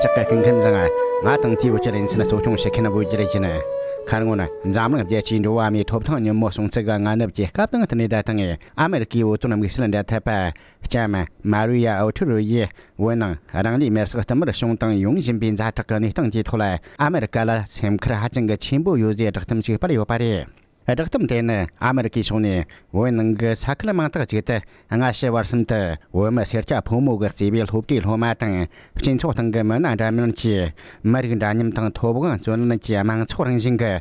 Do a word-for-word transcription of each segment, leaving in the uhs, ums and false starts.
བདེ་ལེགས། སྐུ་ཁམས་བཟང་། ང་དང་དེའི་བོད་ཀྱི་རིག་འཛིན་གཙོ་སྐྱོང་བྱེད་མཁན་བོད་རྒྱལ་ཡིན། ཁ་སྔོན་འཛམ་གླིང་རྒྱལ་སྤྱིའི་འགྲོ་བ་མིའི་ཐོབ་ཐང་ཉིན་མོ་སྲུང་བརྩི་གི་སྔ་ནུབ་ཀྱི་སྐབས་དང་བསྟུན་ནས་ད་ཐེངས་ཨ་མེ་རི་ཀའི་བོད་དོན་དམིགས་བསལ་འབྲེལ་མཐུད་པ་ལྕམ་མ་རི་ཡ་ཨོ་ཐུ་རུ་ཡིས། བོད་ནང་རང་ལུས་མེར་སྲེག་བསྟུད་མར་བྱུང་དང་ཡོང་བཞིན་པའི་ཛ་དྲག་གི་གནས་སྟངས་ཀྱི་ཐོག་ལ། ཨ་མེ་རི་ཀ་ལ་སེམས་ཁུར་ཧ་ཅང་གི་ཆེན་པོ་ཡོད་ཟེར་བསྒྲགས་གཏམ་ཞིག་སྤེལ་ཡོད་པ་རེད། བསྒྲགས་གཏམ་དེ་ནི་ཨ་མེ་རི་ཀའི་ཕྱོགས་ནས་བོད་ནང་གི་ས་ཁུལ་མང་དག་ཅིག་ཏུ་སྔ་ཕྱི་བར་གསུམ་དུ་བོད་མི་སེར་སྐྱ་ཕོ་མོ་གིས་གཙོས་པའི་སློབ་གྲྭའི་སློབ་མ་དང་། སྤྱི་ཚོགས་སྟེང་གི་མི་སྣ་འདྲ་མིན་གྱིས། མི་རིགས་འདྲ་མཉམ་དང་ཐོབ་དབང་རྩོད་ལེན་གྱི་དམངས་ཚོགས་རང་བཞིན་གྱི་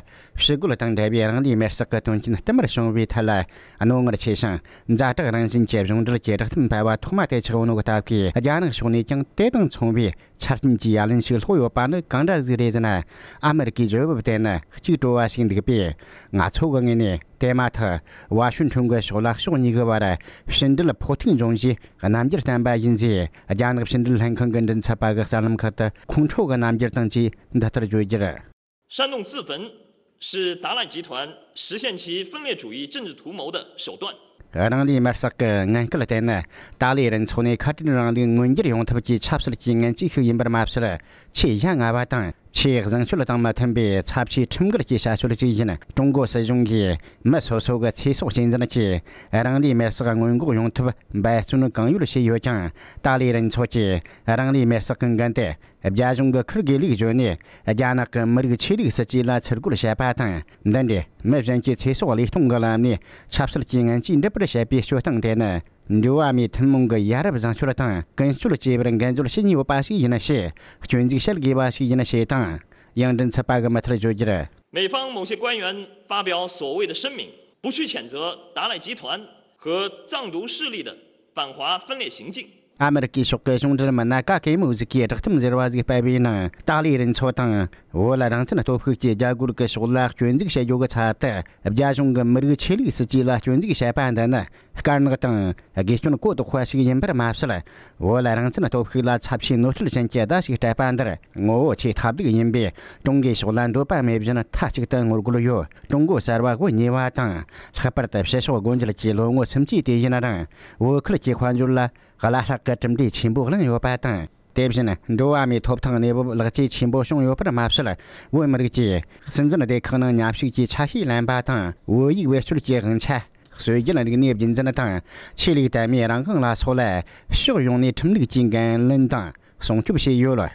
ཞི་རྒོལ་དང་འབྲེལ་བའི་རང་ལུས་མེར་སྲེག་གི་དོན་རྐྱེན་བསྟུད་མར་བྱུང་བའི་ཐད་ལ། རྣོ་ངར་ཆེ་ཞིང་ཛ་དྲག་རང་བཞིན་གྱི་གཞུང་འབྲེལ་གྱི་བསྒྲགས་གཏམ་སྤེལ་བ་ཐོག་མ་དེ་ཆགས་ཡོད་ནོ་གི་སྟབས་ཀྱིས། རྒྱ་ནག་ཕྱོགས་ནས་ཀྱང་དེ་དང་མཚུངས་པའི་ཆ་རྐྱེན་གྱི་ཡ་ལན་ཞིག་སློག་ཡོད་པ་ནི་གང་འདྲ་ཟིག་རེད་ཟེར་ན། ཨ་མེ་རི་ཀའི་བརྗོད་བབ་དེ་ནི་གཅིག་བྲོ་བ་ཞིག་འདུག་པས། ང་ཚོ་གི་ངོས་ནས་དེ་མ་ཐག་ཝ་ཤིང་ཊོན་གྱི་ཕྱོགས་ལ་ཕྱོགས་གཉིས་ཀྱི་བར་ཕྱི་འབྲེལ་ཕོག་ཐུག་འབྱུང་རྒྱུའི་རྣམ་འགྱུར་བསྟན་པ་ཡིན་ཟེར། རྒྱ་ནག་ཕྱི་འབྲེལ་ལྷན་ཁང་གི་མགྲིན་ཚབ་པ་གིས་གསར་ལམ་ཁག་ཏུ་ཁོང་ཁྲོ་གི་རྣམ་འགྱུར་དང་བཅས་འདི་ལྟར་བརྗོད་རྒྱུར། 煽动自焚是达赖集团实现其分裂主义政治图谋的手段。 རང་ལུས་མེར་སྲེག་གི་ངན་སྐུལ་དེ་ནི་ཏཱ་ལའི་རུ་ཚོགས་ནས་ཁ་བྲལ་རིང་ལུགས་མངོན་འགྱུར་ཡོང་ཐབས་ཀྱི་ཆབ་སྲིད་ཀྱི་ངན་ཇུས་ཤིག་ཡིན་པར་མ་ཟད། ཆེས་ཡ་ང་བ་དང་ཆེས་བཟང་སྤྱོད་དང་མི་མཐུན་པའི་ཚབས་ཆེའི་ཁྲིམས་འགལ་གྱི་བྱ་སྤྱོད་ཅིག་ཡིན། ཀྲུང་གོ་སྲིད་གཞུང་གིས་མི་སོ་སོ་གི་ཚེ་སྲོག་གཅེས་འཛིན་གྱིས་རང་ལུས་མེར་སྲེག་སྔོན་འགོག་ཡོང་ཐབས་འབད་བརྩོན་གང་ཡོད་བྱས་ཡོད་ཀྱང་། ཏཱ་ལའི་རུ་ཚོགས་ཀྱིས་རང་ལུས་མེར་སྲེག་གི་འགན་དེ་རྒྱ་གཞུང་གི་ཁུར་དགོས་ལུགས་བརྗོད་ནས། རྒྱ་ནག་གི་མི་རིགས་ཆོས་ལུགས་སྲིད་ཇུས་ལ་ཚུར་རྒོལ་བྱས་པ་དང་། འདི་འདྲའི་མི་གཞན་གྱི་ཚེ་སྲོག་བློས་གཏོང་གི་ལམ་ནས་ཆབ་སྲིད་ཀྱི་ངན་ཇུས་འགྲུབ་པར་བྱེད་པའི་སྤྱོད་སྟངས་དེ་ནི། འགྲོ་བ་མིའི་ཐུན་མོང་གི་ཡ་རབས་བཟང་སྤྱོད་དང་ཀུན་སྤྱོད་བཅས་པར་འགན་བཅོལ་བྱེད་ཉེན་ཡོད་པ་ཞིག་ཡིན་ཞེས་སྐྱོན་འཛུགས་བྱེད་དགོས་པ་ཞིག་ཡིན་ཞེས་དང་། ཡང་མགྲིན་ཚབ་པ་གིས་མུ་མཐུད་བརྗོད་རྒྱུར། 美方某些官员发表所谓的声明，不去谴责达赖集团和藏独势力的反华分裂行径。 ཨ་མེ་རི་ཀའི་ཕྱོགས་ཀྱི་གཞུང་འབྲེལ་མི་སྣ་ག་གེ་མོ་ཟིག་གིས་བསྒྲགས་གཏམ་ཟེར་བ་ཟིག་སྤེལ་བའི་ནང་། ཏཱ་ལའི་རུ་ཚོགས་དང་བོད་རང་བཙན་སྟོབས་ཤུགས་ཀྱི་རྒྱལ་སྒོར་གྱི་ཕྱོགས་ལ་སྐྱོན་འཛུགས་བྱེད་རྒྱུ་གི་ཚབ་ཏུ། རྒྱ་གཞུང་གི་མི་རིགས་ཆོས་ལུགས་སྲིད་ཇུས་ལ་སྐྱོན་འཛུགས་བྱས་པ་འདི་ནི། དཀར་ནག་དང་དགེ་སྐྱོན་གོ་ལྡོག་པ་ཞིག་ཡིན་པར་མ་ཟད། བོད་རང་བཙན་སྟོབས་ཤུགས་ལ་ཚབས་ཆེའི་གནོད་འཚེ་ཅན་གྱི་བརྡ་ཞིག་སྤྲད་པ་འདིར། ངོ་བོ་ཆེས་ཐབས་སྡུག་ཡིན་པས། ཀྲུང་གོའི་ཕྱོགས་ལ་འདོད་པ་མེད་བཞིན་མཐའ་གཅིག་ཏུ་ངོ་རྒོལ་ཡོད། ཀྲུང་གོ་གསར་པ་དབུ་བརྙེས་པ་དང་། ལྷག་པར་དུ་ཕྱི་ཕྱོགས་སྒོ་འབྱེད་ཀྱི་ལོ་ངོ་སུམ་ཅུ་དེ་ཡིན་རུང་། བོད་ཁུལ་གྱི་དཔལ་འབྱོར་ལ་བླ་ལྷག་གི་གྲུབ་འབྲས་ཆེན་པོ་བླངས་ཡོད་པ་དང་། དེ་བཞིན་འགྲོ་བ་མིའི་ཐོབ་ཐང་གནས་བབ་ལེགས་བཅོས་ཆེན་པོ་བྱུང་ཡོད་པར་མ་ཟད། བོད་མི་རིགས་ཀྱིས་སྲིད་འཛིན་སྡེ་ཁག་ནང་མཉམ་ཞུགས་ཀྱིས་ཆ་ཤས་ལེན་པ་དང་། བོད་ཡིག་བེད་སྤྱོད་ཀྱི་དབང་ཆ། སྲོལ་རྒྱུན་རིག་གནས་རྒྱུན་འཛིན་དང་། ཆོས་ལུགས་དད་མོས་རང་དབང་ལ་སོགས་ལ་ཕྱོགས་ཡོངས་ནས་ཁྲིམས་ལུགས་ཀྱིས་འགན་ལེན་དང་སྲུང་སྐྱོབ་བྱས་ཡོད།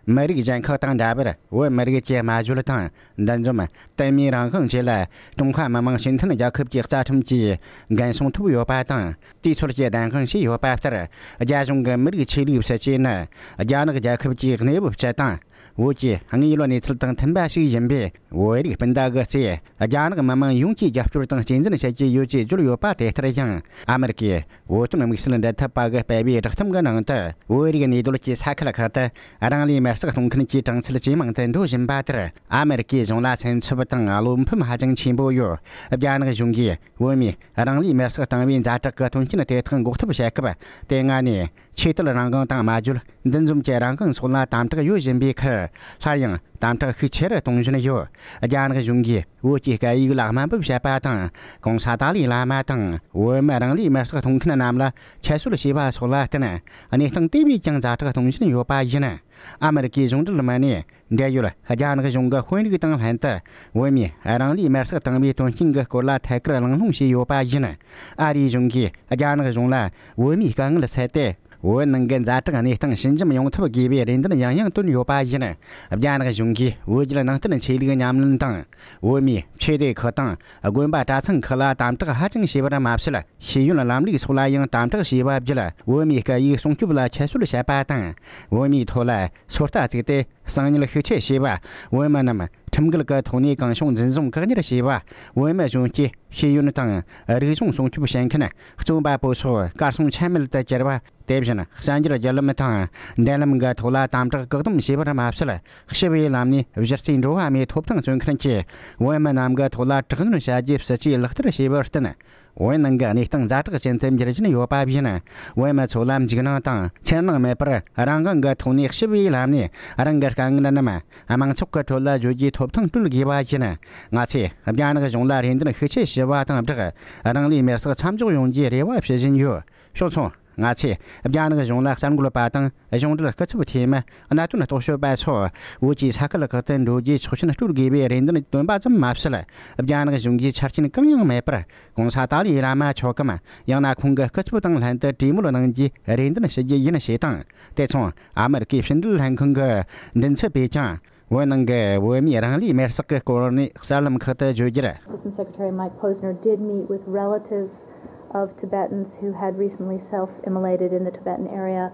མི་རིགས་གཞན་ཁག་དང་འདྲ་བར་བོད་མི་རིགས་ཀྱི་སྨྲ་བརྗོད་དང་འདུ་འཛོམས། དད་མོས་རང་དབང་བཅས་ལ་ཀྲུང་ཧྭ་མི་དམངས་སྤྱི་མཐུན་རྒྱལ་ཁབ་ཀྱི་རྩ་ཁྲིམས་ཀྱིས་འགན་སྲུང་ཐུབ་ཡོད་པ་དང་། དེའི་ཚོད་ཀྱིས་བདེན་དཔང་བྱས་ཡོད་པ་ལྟར། རྒྱ་གཞུང་གི་མི་རིགས་ཆོས་ལུགས་སྲིད་ཇུས་ནི་རྒྱ་ནག་རྒྱལ་ཁབ་ཀྱི་གནས་བབ་སྤྱི་དང་། བོད་ཀྱི་དངོས་ཡོད་གནས་ཚུལ་དང་མཐུན་པ་ཞིག་ཡིན་པས། བོད་རིགས་སྤུན་ཟླ་གི་རྩེ། རྒྱ་ནག་མི་དམངས་ཡོངས་ཀྱིས་རྒྱབ་སྐྱོར་དང་གཅེས་འཛིན་བྱེད་ཀྱི་ཡོད་ཅེས་བརྗོད་ཡོད་པ་དེ་ལྟར་ཡང་། ཨ་མེ་རི་ཀས་བོད་དོན་དམིགས་བསལ་འབྲེལ་མཐུད་པ་གིས་སྤེལ་བའི་བསྒྲགས་གཏམ་གྱི་ནང་དུ། བོད་རིགས་གནས་སྡོད་ཀྱི་ས་ཁུལ་ཁག་ཏུ་རང་ལུས་མེར་སྲེག་གཏོང་མཁན་གྱི་གྲངས་ཚད་ཇེ་མང་དུ་འགྲོ་བཞིན་པ་ལྟར། ཨ་མེ་རི་ཀའི་གཞུང་ལ་སེམས་འཚབ་དང་བློ་ཕམ་ཧ་ཅང་ཆེན་པོ་ཡོད། རྒྱ་ནག་གཞུང་གིས་བོད་མིས་རང་ལུས་མེར་སྲེག་བཏང་བའི་ཛ་དྲག་གི་དོན་རྐྱེན་དེ་དག་འགོག་ཐབས་བྱེད་སྐབས། དེ་སྔ་ནས་ཆོས་དད་རང་དབང་དང་སྨྲ་བརྗོད། འདུ་འཛོམས་ཀྱི་རང་དབང་སོགས་ལ་དམ་དྲག་ཡོད་བཞིན་པའི་ཁར། སླར་ཡང་དམ་དྲག་ཤུགས་ཆེ་རུ་གཏོང་བཞིན་ཡོད། རྒྱ་ནག་གཞུང་གིས་བོད་ཀྱི་སྐད་ཡིག་ལ་དམའ་འབེབས་བྱས་པ་དང་། གོང་ས་ཏཱ་ལའི་བླ་མ་དང་བོད་མི་རང་ལུས་མེར་སྲེག་གཏོང་མཁན་རྣམས་ལ་ཁྱད་གསོད་བྱས་པ་སོགས་ལ་བརྟེན། གནས་སྟངས་དེ་བས་ཀྱང་ཛ་དྲག་གཏོང་བཞིན་ཡོད་པ་ཡིན། ཨ་མེ་རི་ཀའི་གཞུང་འབྲེལ་མི་སྣས། འབྲེལ་ཡོད་རྒྱ་ནག་གཞུང་གི་དཔོན་རིགས་དང་ལྷན་དུ། བོད་མིས་རང་ལུས་མེར་སྲེག་བཏང་བའི་དོན་རྐྱེན་གྱི་སྐོར་ལ་ཐད་ཀར་གླེང་སློང་བྱས་ཡོད་པ་ཡིན། ཨ་རིའི་གཞུང་གིས་རྒྱ་ནག་གཞུང་ལ་བོད་མིའི་དཀའ་ངལ་སེལ་ཏེ། བོད་ནང་གི་ཛ་དྲག་གནས་སྟངས་ཞི་འཇམ་ཡོང་ཐབས་དགོས་པའི་རེ་འདུན་ཡང་ཡང་བཏོན་ཡོད་པ་ཡིན། རྒྱ་ནག་གཞུང་གིས་བོད་བརྒྱུད་ནང་བསྟན་ཆོས་ལུགས་ཉམས་ལེན་དང་། བོད་མིའི་ཆོས་སྡེ་ཁག་དང་དགོན་པ་གྲྭ་ཚང་ཁག་ལ་དམ་དྲག་ཧ་ཅང་བྱས་པར་མ་ཟད། ཤེས་ཡོན་ལམ་ལུགས་སོགས་ལ་ཡང་དམ་དྲག་བྱས་པ་བརྒྱུད། བོད་མིའི་སྐད་ཡིག་སྲུང་སྐྱོབ་ལ་ཁྱད་གསོད་བྱས་པ་དང་། བོད་མིའི་ཐོག་ལ་སོ་ལྟ་བཙུགས་ཏེ། གསང་ཉུལ་ཤུགས་ཆེ་བྱས་པ། བོད་མི་རྣམས་ཁྲིམས་འགལ་གྱི་ཐོག་ནས་གང་བྱུང་འཛིན་བཟུང་བཀག་ཉར་བྱས་པ། བོད་མི་གཞོན་སྐྱེས་ཤེས་ཡོན་དང་རིག་གཞུང་སྲུང་སྐྱོབ་བྱེད་མཁན་རྩོམ་པ་པོ་སོགས་གར་སོང་ཆ་མེད་དུ་གྱུར་བ། དེ་བཞིན་གསར་འགྱུར་བརྒྱུད་ལམ་དང་འབྲེལ་ལམ་གྱི་ཐོག་ལ་དམ་དྲག་བཀག་སྡོམ་བྱས་པར་མ་ཟད། ཞི་བའི་ལམ་ནས་གཞི་རྩའི་འགྲོ་བ་མིའི་ཐོབ་ཐང་རྩོད་མཁན་གྱི་བོད་མི་རྣམས་ཀྱི་ཐོག་ལ་དྲག་གནོན་བྱ་རྒྱུའི་སྲིད་ཇུས་ལག་བསྟར་བྱས་པར་བརྟེན། བོད་ནང་གི་གནས་སྟངས་ཛ་དྲག་ཅན་དུ་འགྱུར་བཞིན་ཡོད་པ་བཞིན། བོད་མི་ཚོ་ལ་འཇིགས་སྣང་དང་འཚེར་སྣང་མེད་པར་རང་དབང་གི་ཐོག་ནས་ཞི་བའི་ལམ་ནས་རང་གི་དཀའ་ངལ་རྣམས་དམངས་ཚོགས་ཀྱི་ཁྲོད་ལ་བརྗོད་རྒྱུའི་ཐོབ་ཐང་སྤྲོད་དགོས་པ་བཞིན། ང་ཚོས་རྒྱ་ནག་གཞུང་ལ་རེ་འདུན་ཤུགས་ཆེ་ཞུ་བ་དང་སྦྲགས། རང་ལུས་མེར་སྲེག་མཚམས་འཇོག་ཡོང་རྒྱུའི་རེ་བ་ཞུ་བཞིན་ཡོད། ཕྱོགས་མཚུངས། ང་ཚོས་རྒྱ་ནག་གཞུང་ལ་གསར་འགོད་པ་དང་གཞུང་འབྲེལ་སྐུ་ཚབ་འཐུས་མི། གནད་དོན་རྟོག་ཞིབ་པ་སོགས་བོད་ཀྱི་ས་ཁུལ་ཁག་ཏུ་འགྲོ་རྒྱུའི་ཆོག་མཆན་སྤྲོད་དགོས་པའི་རེ་འདུན་བཏོན་པ་ཙམ་མ་ཟད། རྒྱ་ནག་གཞུང་གིས་ཆ་རྐྱེན་གང་ཡང་མེད་པར་༸གོང་ས་ཏཱ་ལའི་བླ་མ་མཆོག་གམ། ཡང་ན་ཁོང་གི་སྐུ་ཚབ་དང་ལྷན་དུ་གྲོས་མོལ་གནང་རྒྱུའི་རེ་འདུན་ཞུ་རྒྱུ་ཡིན་ཞེས་དང་། དེ་མཚུངས་ཨ་མེ་རི་ཀའི་ཕྱི་འབྲེལ་ལྷན་ཁང་གི་མགྲིན་ཚབ་པས་ཀྱང་། བོད་ནང་གི་བོད་མིའི་རང་ལུས་མེར་བསྲེགས་ཀྱི་སྐོར་ནས་གསར་ལམ་ཁག་ཏུ་བརྗོད་རྒྱུར། Assistant Secretary Mike Posner did meet with relatives of Tibetans who had recently self-immolated in the Tibetan area.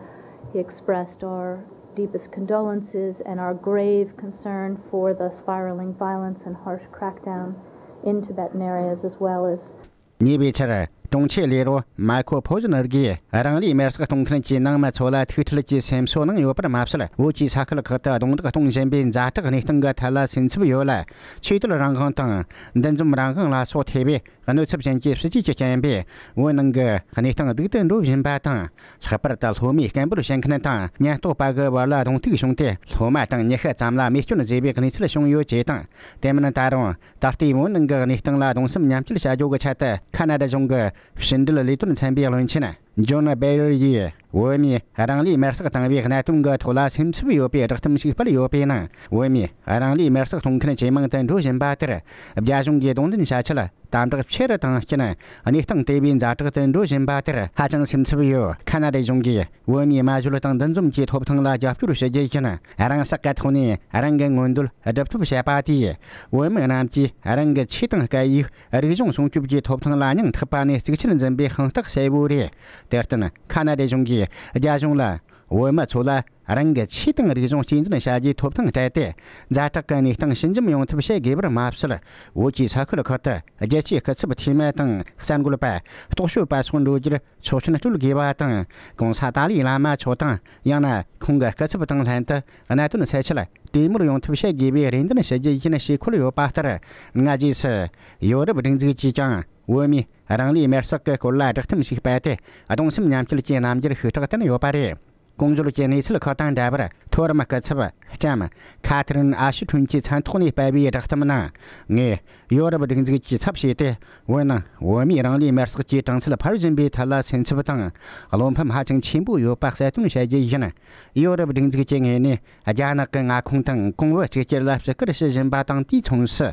He expressed our deepest condolences and our grave concern for the spiraling violence and harsh crackdown in Tibetan areas, as well as ཉེ་བའི་ཆར་དྲུང་ཆེ་ལས་རོགས་མའི་ཁོ་ཕོ་ཟི་ནར་གྱིས་རང་ལུས་མེར་བསྲེགས་གཏོང་མཁན་གྱི་ནང་མི་ཚོ་ལ་ཐུགས་ཁྲལ་གྱི་སེམས་གསོ་གནང་ཡོད་པར་མ་ཟད། བོད་ཀྱི་ས་ཁུལ་ཁག་ཏུ་རྡུང་རྡེག་གཏོང་བཞིན་པའི་ཛ་དྲག་གནས་སྟངས་ཀྱི་ཐད་ལ་སེམས་འཚབ་ཡོད་ལ། ཆོས་དད་རང་དབང་དང་འདུ་འཛོམས་རང་དབང་ལ་སོགས་ཐེ་བའི་གནོད་ཚབས་ཅན་གྱི་སྲིད་ཇུས་ཀྱི་རྐྱེན་པས། བོད་ནང་གི་གནས་སྟངས་སྡུག་ཏུ་འགྲོ་བཞིན་པ་དང་། ལྷག་པར་དུ་སློབ་མའི་སྐད་འབོད་བྱེད་མཁན་དང་ཉེན་རྟོག་པ་གི་བར་ལ་གདོང་ཐུག་བྱུང་སྟེ། སློབ་མ་དང་ཉི་ཤུ་ཙམ་ལ་རྨས་སྐྱོན་བཟོས་པའི་གནས་ཚུལ་བྱུང་ཡོད་ཅེས་དང་། དེ་མིན་ད་རུང་ད་ལྟའི་བོད་ནང་གི་གནས་སྟངས་ལ་གདུང་སེམས་མཉམ་སྐྱེད་བྱ་རྒྱུ་གི་ཆེད་དུ། ཁ་ན་ཌ་གཞུང་གི་ཕྱི་འབྲེལ་ལས་དོན་ཚན་པའི་བློན་ཆེན་ཇོན་སྦེ་རེར་ཡིས། བོད་མིས་རང་ལུས་མེར་བསྲེགས་བཏང་བའི་གནད་དོན་གྱི་ཐོག་ལ་སེམས་འཚབ་ཡོད་པའི་བསྒྲགས་གཏམ་ཞིག་སྤེལ་ཡོད་པའི་ནང་། བོད་མིས་རང་ལུས་མེར་བསྲེགས་གཏོང་མཁན་ཇེ་མང་དུ་འགྲོ་བཞིན་པ་དེར། རྒྱ་གཞུང་གིས་གདོང་ལེན་བྱ་ཆེད་དམ་དྲག་ཆེ་རུ་བཏང་རྐྱེན། གནས་སྟངས་དེ་བས་ཛ་དྲག་ཏུ་འགྲོ་བཞིན་པ་དེར་ཧ་ཅང་སེམས་འཚབ་ཡོད། ཁ་ན་ཌའི་གཞུང་གིས་བོད་མིའི་སྨྲ་བརྗོད་དང་འདུ་འཛོམས་ཀྱི་ཐོབ་ཐང་ལ་རྒྱབ་སྐྱོར་བྱེད་རྒྱུ་ཡིན། རང་སྲེག་གི་ཐོག་ནས་རང་གི་མངོན་འདོད་སྒྲུབ་ཐབས་བྱས་པ་དེས། བོད་མི་རྣམས་ཀྱིས་རང་གི་ཆོས་དང་སྐད་ཡིག། རིག་གཞུང་སྲུང་སྐྱོབ་ཀྱི་ཐོབ་ཐང་ལ་སྙིང་ཐག་པ་ནས་གཙིགས་ཆེར་འཛིན་པའི་དཔང་རྟགས་གསལ་བོ་རེད། དེར་བརྟེན། ཁ་ན་ཌའི་གཞུང་གིས་རྒྱ་གཞུང་ལ། བོད་མི་ཚོ་ལ་རང་གི་ཆོས་དང་རིག་གཞུང་གཅེས་འཛིན་བྱ་རྒྱུའི་ཐོབ་ཐང་སྤྲད་དེ། ཛ་དྲག་གི་གནས་སྟངས་ཞི་འཇམ་ཡོང་ཐབས་བྱེད་དགོས་པར་མ་ཟད། བོད་ཀྱི་ས་ཁུལ་ཁག་ཏུ་རྒྱལ་སྤྱིའི་སྐུ་ཚབ་འཐུས་མི་དང་གསར་འགོད་པ། རྟོག་དཔྱོད་པ་སོགས་འགྲོ་རྒྱུར་ཆོག་མཆན་སྤྲོད་དགོས་པ་དང་། ༸གོང་ས་ཏཱ་ལའི་བླ་མ་མཆོག་དང་། ཡང་ན་ཁོང་གི་སྐུ་ཚབ་དང་ལྷན་དུ་གནད་དོན་སེལ་ཆེད་གྲོས་མོལ་ཡོང་ཐབས་བྱེད་དགོས་པའི་རེ་འདུན་ཞུ་རྒྱུ་ཡིན་ཞེས་འཁོད་ཡོད་པ་ལྟར། སྔ་རྗེས་སུ་ཡོ་རོབ་སྒྲིག་འཛུགས་ཀྱིས་ཀྱང་བོད་མིའི་རང་ལུས་མེར་བསྲེགས་ཀྱི་སྐོར་ལ་བསྒྲགས་གཏམ་ཞིག་སྤེལ་ཏེ། གདུང་སེམས་མཉམ་སྐྱེད་ཀྱི་རྣམ་འགྱུར་ཤུགས་དྲག་བསྟན་ཡོད་པ་རེད། གོང་བརྗོད་ཀྱི་གནས་ཚུལ་ཁག་དང་འདྲ་བར། མཐོ་རིམ་སྐུ་ཚབ་ལྕམ་ཁ་ཐི་རིན་ཨ་ཤི་ཁྲུན་གྱིས་མཚན་ཐོག་ནས་སྤེལ་བའི་བསྒྲགས་གཏམ་ནང་། ངས་ཡོ་རོབ་སྒྲིག་འཛུགས་ཀྱི་ཚབ་བྱས་ཏེ། བོད་ནང་བོད་མིའི་རང་ལུས་མེར་བསྲེགས་ཀྱི་གྲངས་ཚད་འཕར་བཞིན་པའི་ཐད་ལ་སེམས་འཚབ་དང་བློ་ཕམ་ཧ་ཅང་ཆེན་པོ་ཡོད་པ་གསལ་སྟོན་བྱ་རྒྱུ་ཡིན། ཡོ་རོབ་སྒྲིག་འཛུགས་ཀྱི་ངོས་ནས། རྒྱ་ནག་གི་མངའ་ཁོངས་དང་གོང་བུ་གཅིག་གྱུར་ལ་བརྩི་བཀུར་ཞུ་བཞིན་པ་དང་། དུས་མཚུངས་སུ་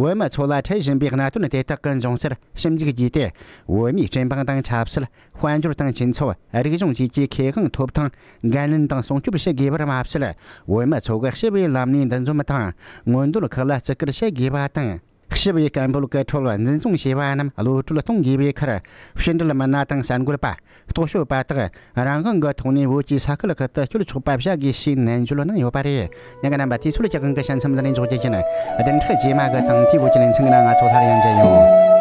བོད་མི་ཚོ་ལ་འཕྲད་བཞིན་པའི་གནད་དོན་དེ་དག་གི་འབྱུང་རྩར་ཞིབ་འཇུག་བགྱིས་ཏེ། བོད་མིའི་སྤྱི་འབངས་དང་ཆབ་སྲིད། དཔལ་འབྱོར་དང་སྤྱི་ཚོགས། རིག་གཞུང་བཅས་ཀྱི་ཁེ་དབང་ཐོབ་ཐང་འགན་ལེན་དང་སྲུང་སྐྱོབ་བྱེད་དགོས་པར་མ་ཟད། བོད་མི་ཚོ་གི་སྤྱི་བའི་ལམ་ནས་འདུ་འཛོམས་དང་མངོན་འདོད་ཁག་ལ་བརྩི་བཀུར་བྱེད་དགོས་པ་དང་། སྤྱི་བའི་སྐད་འབོད་ཀྱི་ཁྲོད་འཛིན་བཟུང་བྱས་པ་རྣམས་གློད་བཀྲོལ་གཏོང་དགོས་པའི་ཁར། ཕྱི་འབྲེལ་མི་སྣ་དང་གསར་འགོད་པ། རྟོག་དཔྱོད་པ་དག་རང་དབང་གི་ཐོག་ནས་བོད་ཀྱི་ས་ཁུལ་ཁག་ཏུ་བསྐྱོད་ཆོག་པ་བྱ་དགོས་ཞེས་ནན་བརྗོད་གནང་ཡོད་པ་རེད། ཉན་མཁན་རྣམ་པ། དུས་ཚོད་ཀྱི་དབང་གིས་གཤམ་འདི་ནས་འཇོག་རྒྱུ་ཡིན། བདུན་ཕྲག་རྗེས་མ་གི་དང་དེའི་བོད་ཀྱི་ལེ་ཚན་གྱི་ནང་ང་ཚོ་སླར་ཡང་མཇལ་ཡོང་།